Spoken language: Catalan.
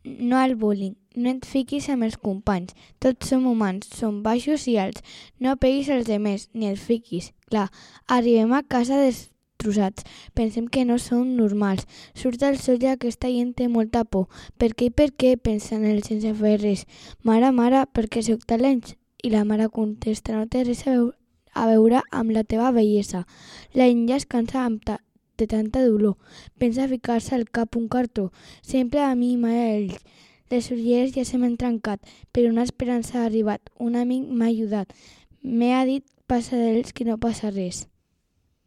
no al bullying. No et fiquis amb els companys. Tots som humans, som baixos i alts. No peguis als demés, ni els fiquis. Clar, arribem a casa destrossats. Pensem que no som normals. Surt al sol i aquesta gent té molta por. Per què i per què? Pensen ells sense fer res. Mare, per què sóc talents? I la mare contesta, no té res a veure amb la teva bellesa. La gent ja es cansa de tanta dolor. Pensa ficar-se al cap un cartó. Sempre a mi mai a ells. Les ulleres ja se m'han trencat, però una esperança ha arribat. Un amic m'ha ajudat. M'ha dit passa d'ells que no passa res.